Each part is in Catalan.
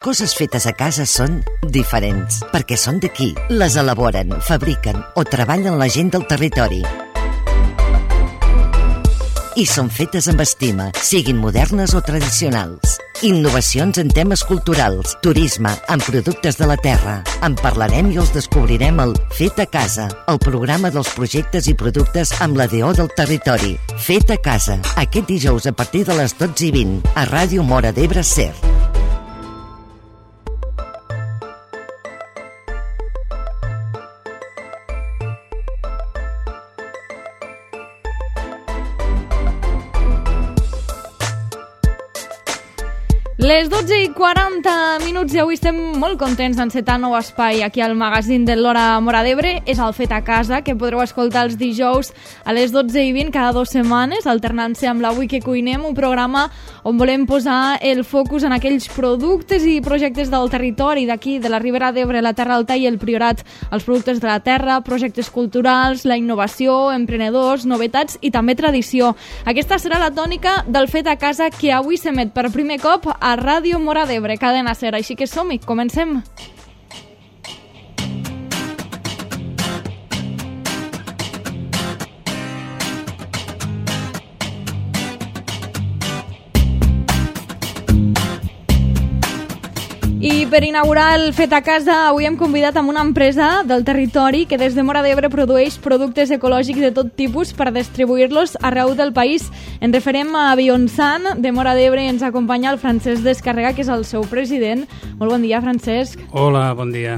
Coses fetes a casa són diferents, perquè són d'aquí. Les elaboren, fabriquen o treballen la gent del territori. I són fetes amb estima, siguin modernes o tradicionals. Innovacions en temes culturals, turisme, en productes de la terra. En parlarem i els descobrirem al Fet a Casa, el programa dels projectes i productes amb la DO del territori. Fet a Casa, aquest dijous a partir de les 12:20, a Ràdio Móra d'Ebre SER. Les 12:40 i avui estem molt contents d'encetar nou espai aquí al magazín de l'Hora Móra d'Ebre. És el Fet a Casa, que podreu escoltar els dijous a les 12:20 cada 2 setmanes, alternant-se amb l'Avui que cuinem, un programa on volem posar el focus en aquells productes i projectes del territori d'aquí, de la Ribera d'Ebre, la Terra Alta i el Priorat, els productes de la terra, projectes culturals, la innovació, emprenedors, novetats i també tradició. Aquesta serà la tònica del Fet a Casa, que avui s'emet per primer cop a Ràdio Móra d'Ebre, cadena SER. Així que som-hi, comencem! I per inaugurar el Fet a Casa, avui hem convidat amb una empresa del territori que des de Móra d'Ebre produeix productes ecològics de tot tipus per distribuir-los arreu del país. Ens referem a Bionsan, de Móra d'Ebre, i ens acompanya el Francesc Descarrega, que és el seu president. Molt bon dia, Francesc. Hola, bon dia.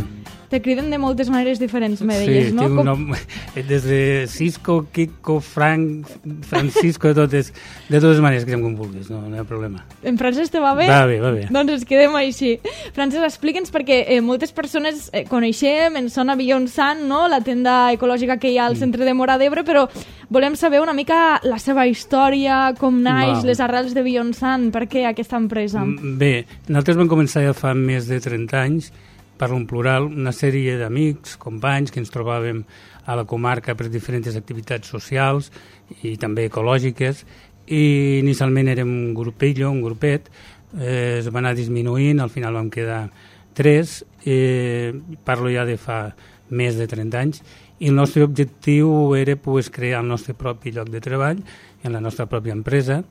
Te criden de moltes maneres diferents, me deies, no? Sí, tinc un nom, des de Cisco, Kiko, Frank, Francisco, de totes maneres que com vulguis, no hi ha problema. En francès te va bé? Va bé, va bé. Doncs ens quedem així. Francesc, explica'ns, perquè moltes persones coneixem, ens sona Bionsan, no? La tenda ecològica que hi ha al centre de Móra d'Ebre, però volem saber una mica la seva història, com naix, les arrels de Bionsan, per què aquesta empresa? Bé, nosaltres vam començar ja fa més de 30 anys, parlo en plural, una sèrie d'amics, companys, que ens trobàvem a la comarca per diferents activitats socials i també ecològiques, i inicialment érem un grupet, es va anar disminuint, al final vam quedar 3, parlo ja de fa més de 30 anys, i el nostre objectiu era crear el nostre propi lloc de treball en la nostra pròpia empresa.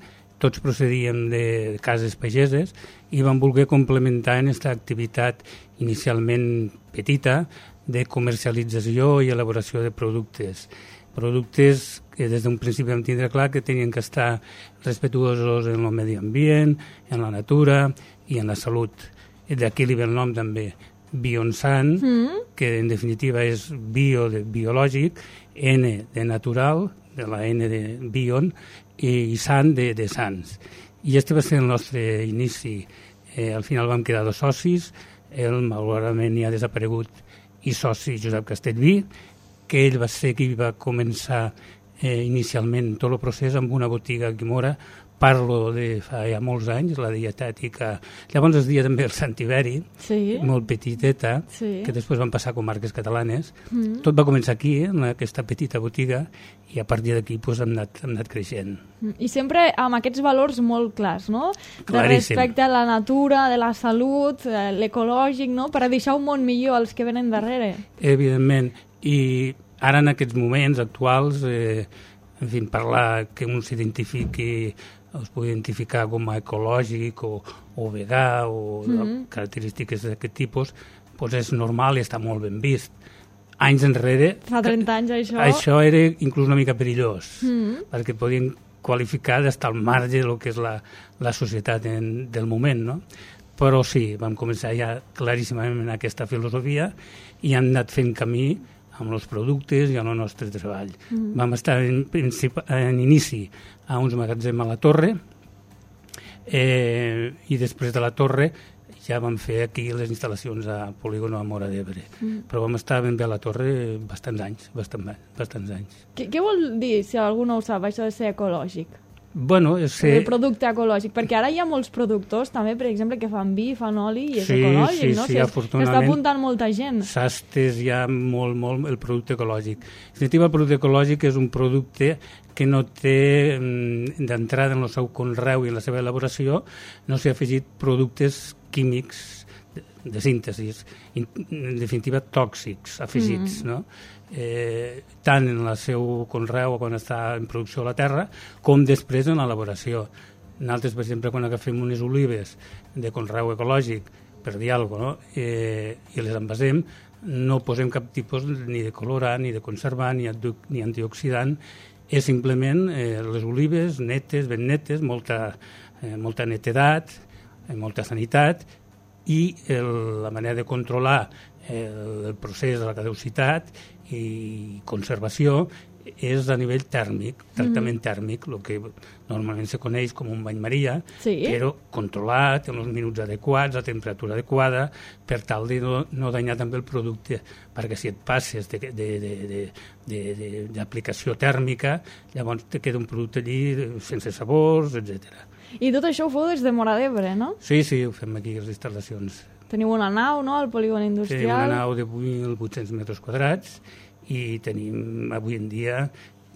Tots procedíem de cases pageses i vam voler complementar en aquesta activitat inicialment petita de comercialització i elaboració de productes. Productes que des d'un principi vam tindre clar que tenien que estar respetuosos en el medi ambient, en la natura i en la salut. I d'aquí li ve el nom també, Bionsan, que en definitiva és bio de biològic, N de natural, de la N de Bion, i sant de sants. I este va ser el nostre inici. Al final vam quedar 2 socis, ell malauradament ja ha desaparegut, i soci Josep Castellví, que ell va ser qui va començar inicialment tot el procés amb una botiga aquí a Móra. Parlo de fa ja molts anys, la dietètica. Llavors es deia també el Sant Iberi, molt petiteta, que després van passar a comarques catalanes. Tot va començar aquí, en aquesta petita botiga, i a partir d'aquí hem anat creixent. I sempre amb aquests valors molt clars, no? Claríssim. De respecte a la natura, de la salut, l'ecològic, no? Per a deixar un món millor als que venen darrere. Evidentment. I ara en aquests moments actuals, en fi, parlar que un s'identifiqui, es pugui identificar com a ecològic o vegà o característiques d'aquest tipus, doncs és normal i està molt ben vist. Anys enrere... Fa 30 anys, això... Això era inclús una mica perillós, perquè podien qualificar d'estar al marge del que és la societat del moment, no? Però sí, vam començar ja claríssimament en aquesta filosofia i hem anat fent camí amb els productes i amb el nostre treball. Vam estar en inici a uns magatzems a la Torre i després de la Torre ja vam fer aquí les instal·lacions a Polígono a Móra d'Ebre. Però vam estar ben bé a la Torre bastants anys. Què vol dir, si algú no ho sap, això de ser ecològic? Bueno, el producte ecològic, perquè ara hi ha molts productors també, per exemple, que fan vi, fan oli i és ecològic, no? Sí, afortunadament està apuntant molta gent. S'ha estès ja molt el producte ecològic. En definitiva, el producte ecològic és un producte que no té d'entrada en el seu conreu i en la seva elaboració, no s'hi ha afegit productes químics de síntesi, en definitiva tòxics afegits, no? Tant en el seu conreu quan està en producció a la terra com després en l'elaboració. Nosaltres, per exemple, quan agafem unes olives de conreu ecològic, per dir alguna cosa, i les envasem, no posem cap tipus ni de colorant, ni de conservant, ni antioxidant. És simplement les olives netes, ben netes, molta netedat, molta sanitat, i la manera de controlar el procés de la caducitat i conservació és a nivell tèrmic, tractament tèrmic, el que normalment se coneix com un bany maria, però controlat, en els minuts adequats, a temperatura adequada, per tal de no danyar també el producte, perquè si et passes d'aplicació tèrmica, llavors te queda un producte allí sense sabors, etc. I tot això ho feu des de Móra d'Ebre, no? Sí, ho fem aquí, les instal·lacions. Teniu una nau, no?, al polígon industrial. Sí, una nau de 8.800 metres quadrats, i tenim avui en dia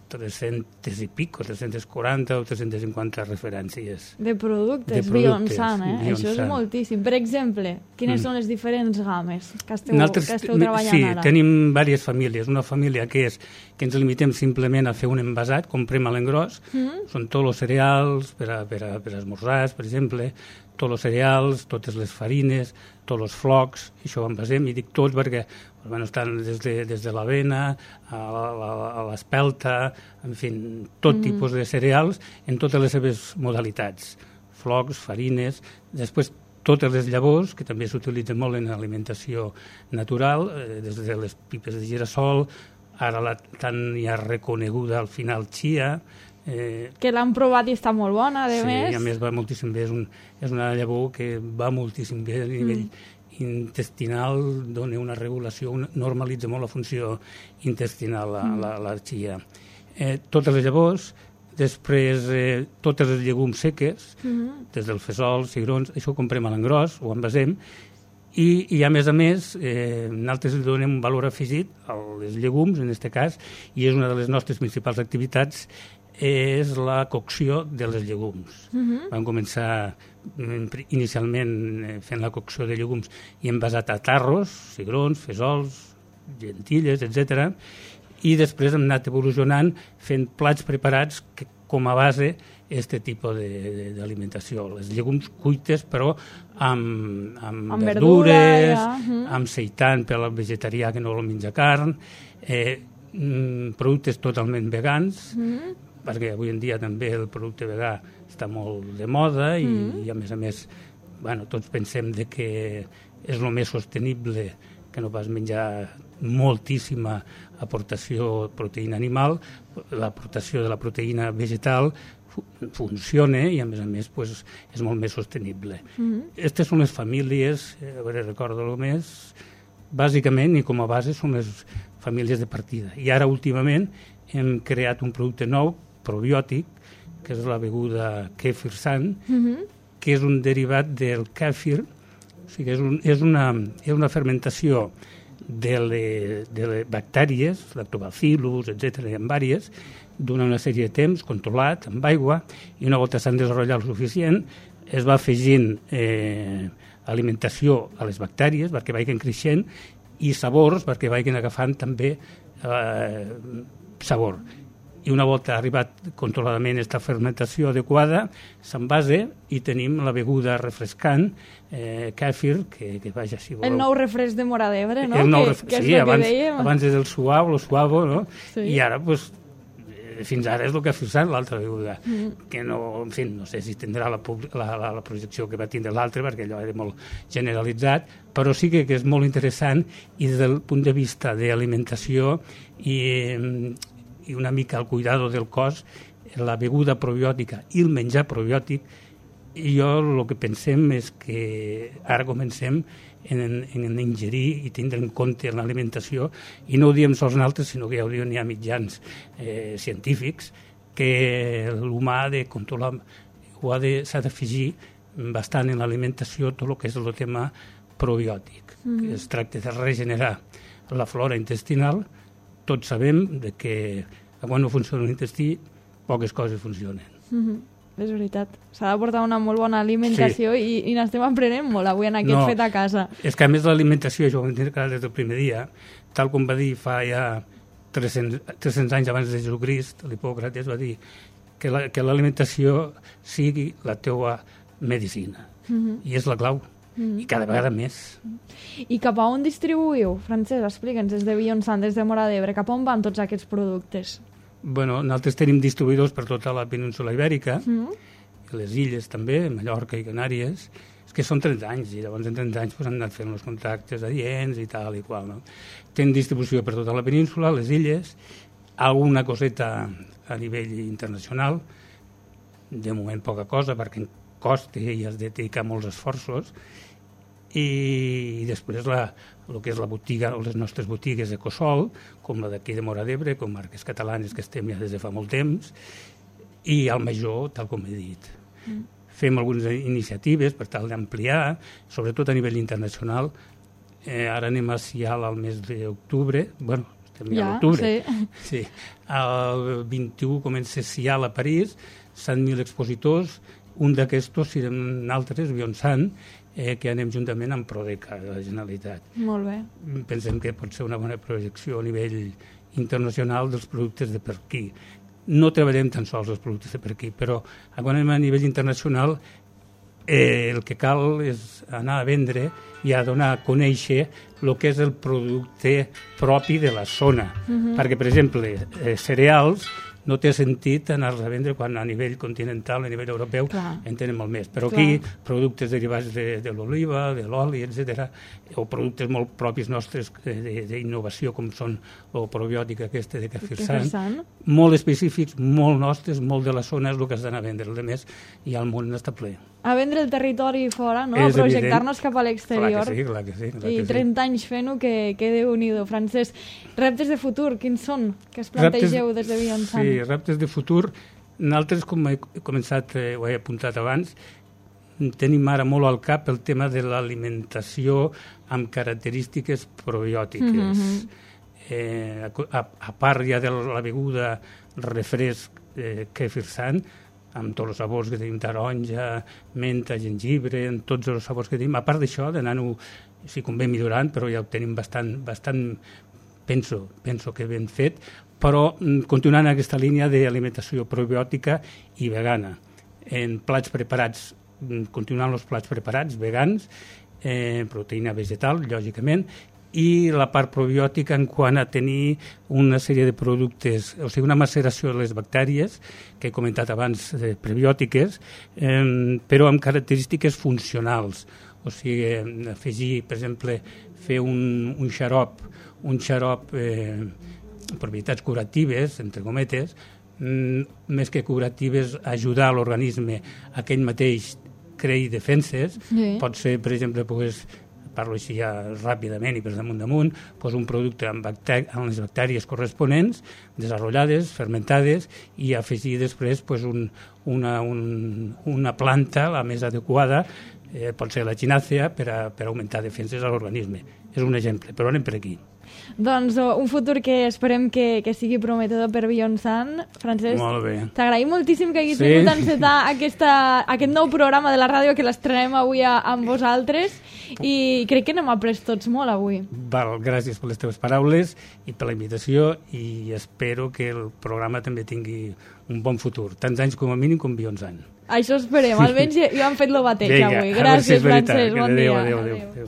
300 i pico, 340 o 350 referències. De productes Bionsan, Això és moltíssim. Per exemple, quines són les diferents games que esteu treballant ara? Sí, tenim diverses famílies. Una família que és que ens limitem simplement a fer un envasat, comprem a l'engròs, són tots els cereals per a esmorzars, per exemple, tots els cereals, totes les farines, tots els flocs, això ho envasem, i dic tots perquè estan des de l'avena a l'espelta, en fi, tot tipus de cereals en totes les seves modalitats, flocs, farines, després totes les llavors, que també s'utilitzen molt en alimentació natural, des de les pipes de girassol, ara tan ja reconeguda al final chia, que l'han provat i està molt bona, a més. Sí, a més va moltíssim bé, és una llavor que va moltíssim bé a nivell intestinal, dona una regulació, normalitza molt la funció intestinal, la chia. Totes les llavors, després totes les llegums seques, des del fesol, cigrons, això ho comprem a l'engròs, ho envasem, i a més, nosaltres li donem un valor afegit als llegums, en aquest cas, i és una de les nostres principals activitats, és la cocció de les llegums. Vam començar inicialment fent la cocció de llegums i envasat a tarros, cigrons, fesols, gentilles, etc. I després hem anat evolucionant fent plats preparats que, com a base aquest tipus d'alimentació. Les llegums cuites, però amb verdures, amb seitan per al vegetarià que no vol menjar carn, productes totalment vegans, perquè avui en dia també el producte vegà està molt de moda i a més, tots pensem que és el més sostenible que no pas menjar moltíssima aportació de proteïna animal, l'aportació de la proteïna vegetal funciona i a més és molt més sostenible. Aquestes són les famílies, a veure, recordo-ho més, bàsicament i com a base són les famílies de partida. I ara últimament hem creat un producte nou, probiòtic, que és la beguda Kefirsan, que és un derivat del kèfir, o sigui, és una fermentació de les bactèries, lactobacillus, etc., i en vàries, durant una sèrie de temps, controlat, amb aigua, i una volta s'han desenvolupat el suficient, es va afegint alimentació a les bactèries perquè vagin creixent i sabors perquè vagin agafant també sabor. I una volta ha arribat controladament aquesta fermentació adequada, s'envasa i tenim la beguda refrescant, kèfir, que vaja, si voleu... El nou refresc de Móra d'Ebre, no? Sí, abans és el suavo, no? I ara, fins ara és el que ha fixat l'altra beguda, que no, en fi, no sé si tindrà la projecció que va tindre l'altre, perquè allò era molt generalitzat, però sí que és molt interessant i des del punt de vista d'alimentació i una mica el cuidado del cos, la beguda probiòtica i el menjar probiòtic, i jo el que pensem és que ara comencem en ingerir i tindre en compte l'alimentació, i no ho diem sols nosaltres, sinó que ja ho diuen ja mitjans científics, que l'humà ha de controlar, s'ha d'afegir bastant en l'alimentació tot el que és el tema probiòtic. Es tracta de regenerar la flora intestinal. Tots sabem que quan no funciona l'intestí, poques coses funcionen. és veritat. S'ha de portar una molt bona alimentació i n'estem aprenent molt avui en aquest fet a casa. És que a més l'alimentació, jo ho entenc clar des del primer dia, tal com va dir fa ja 300 anys abans de Jesucrist, l'Hipòcrates va dir que l'alimentació sigui la teua medicina. I és la clau. I cada vegada més. I cap a on distribuïu? Francesc, explica'ns, des de Beyoncé, des de Móra d'Ebre, cap a on van tots aquests productes? Bueno, nosaltres tenim distribuïdors per tota la península ibèrica, i les illes també, Mallorca i Canàries, és que són 30 anys, i llavors en 30 anys han anat fent els contactes adients i tal i qual. No? Tenen distribució per tota la península, les illes, alguna coseta a nivell internacional, de moment poca cosa, perquè costa i has de dedicar molts esforços, i després el que és la botiga o les nostres botigues Ecosol, com la d'aquí de Móra d'Ebre, com marques catalanes que estem ja des de fa molt temps, i al Major, tal com he dit. Fem algunes iniciatives per tal d'ampliar, sobretot a nivell internacional. Ara anem a Sial al mes d'octubre, bueno, estem ja a l'octubre. Sí. El 21 comença Sial a París, 100.000 expositors, un d'aquestos serem altres, Beyoncé, que anem juntament amb Prodeca de la Generalitat. Molt bé. Pensem que pot ser una bona projecció a nivell internacional dels productes de per aquí. No treballem tan sols els productes de per aquí, però quan anem a nivell internacional el que cal és anar a vendre i a donar a conèixer el que és el producte propi de la zona. Perquè, per exemple, cereals no té sentit anar-los a vendre quan a nivell continental, a nivell europeu, en tenen molt més. Però aquí, productes derivats de l'oliva, de l'oli, etc., o productes molt propis nostres d'innovació, com són el probiòtic aquest de Kefir-San, molt específics, molt nostres, molt de la zona, és el que has d'anar a vendre. El més, i el món està ple. A vendre el territori fora, no? A projectar-nos cap a l'exterior. Clar que sí. I 30 anys fent-ho, que Déu-n'hi-do. Francesc, reptes de futur, quins són? Que es plantegeu des de Beyoncé? Sí, reptes de futur. Nosaltres, com he començat, ho he apuntat abans, tenim ara molt al cap el tema de l'alimentació amb característiques probiòtiques. A part ja de la beguda refresc Kefir-San, amb tots els sabors que tenim, taronja, menta, gengibre, amb tots els sabors que tenim. A part d'això, d'anar-ho, si convé, millorant, però ja ho tenim bastant penso que ben fet, però continuant aquesta línia d'alimentació probiòtica i vegana. En plats preparats, continuant els plats preparats, vegans, proteïna vegetal, lògicament, i la part probiòtica en quant a tenir una sèrie de productes, o sigui, una maceració de les bactèries, que he comentat abans, prebiòtiques, però amb característiques funcionals. O sigui, afegir, per exemple, fer un xarop, propietats curatives, entre cometes, més que curatives, ajudar l'organisme a que ell mateix creï defenses. Pot ser, per exemple, parlo així ja ràpidament i per damunt, un producte amb les bactèries corresponents, desenvolupades, fermentades, i afegir després una planta, la més adequada, pot ser la echinacea, per augmentar defenses a l'organisme. És un exemple, però anem per aquí. Doncs un futur que esperem que sigui prometedor per Beyoncé. Francesc, t'agraïm moltíssim que haguis vingut a encetar aquest nou programa de la ràdio que l'estrenem avui amb vosaltres, i crec que n'hem après tots molt avui. Gràcies per les teves paraules i per la invitació, i espero que el programa també tingui un bon futur, tants anys com a mínim com Beyoncé. Això esperem, almenys ja han fet el bateig avui. Gràcies, Francesc, bon dia. Adéu.